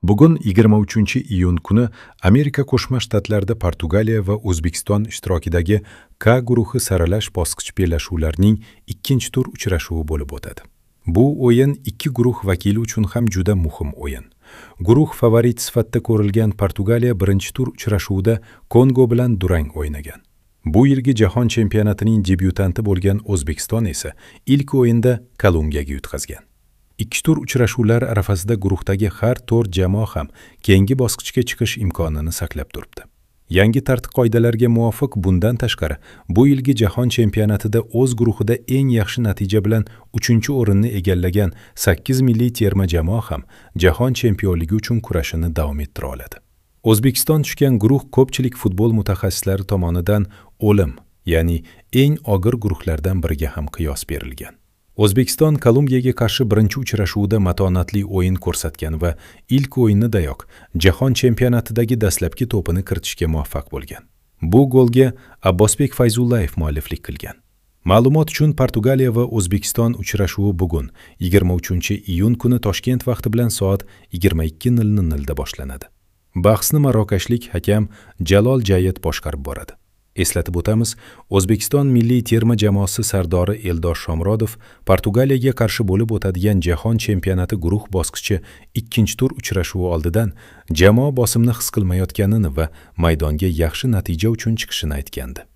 Bugun 23-iyun kuni Amerika Qo'shma Shtatlarida Portugaliya va O'zbekiston ishtirokidagi K guruhi saralash bosqich bellashuvlarining ikkinchi tur uchrashuvi bo'lib o'tadi. Bu o'yin ikki guruh vakili uchun ham juda muhim o'yin. Guruh favorit sifatida ko'rilgan Portugaliya birinchi tur uchrashuvida Kongo bilan durang o'ynagan. Bu yilgi jahon chempionatining debyutanti bo'lgan O'zbekiston esa ilk o'yinda Kolumbiyaga yutqazgan. Ikki tur uchrashuvlar arafasida guruhdagi har 4 jamoa ham keyingi bosqichga chiqish imkonini saqlab turibdi. Yangi tartib-qoidalarga muvofiq bundan tashqari, bu yilgi jahon chempionatida o'z guruhida eng yaxshi natija bilan 3-o'rinni egallagan 8 milliy terma jamoa ham jahon chempionligi uchun kurashini davom ettira oladi. O'zbekiston tushgan guruh ko'pchilik futbol mutaxassislari tomonidan o'lim, ya'ni eng og'ir guruhlardan biriga ham qiyos berilgan. O'zbekiston Kolumbiyaga qarshi birinchi uchrashuvda matonatli o'yin ko'rsatgan va ilk o'yinidayoq jahon chempionatidagi dastlabki to'pini kiritishga muvaffaq bo'lgan. Bu golga Abbosbek Fayzullayev mualliflik qilgan. Ma'lumot uchun, Portugaliya va O'zbekiston uchrashuvi bugun 23-iyun kuni Toshkent vaqti bilan soat 22:00 da boshlanadi. Bahsni marokashlik hakam Jalol Jayet boshqarib boradi. Eslatib o'tamiz, O'zbekiston milliy terma jamoasi sardori Eldor Shomurodov Portugaliyaga qarshi bo'lib o'tadigan jahon chempionati guruh bosqichi ikkinchi tur uchrashuvi oldidan jamoa bosimni his qilmayotganini va maydonga yaxshi natija uchun chiqishini aytgandi.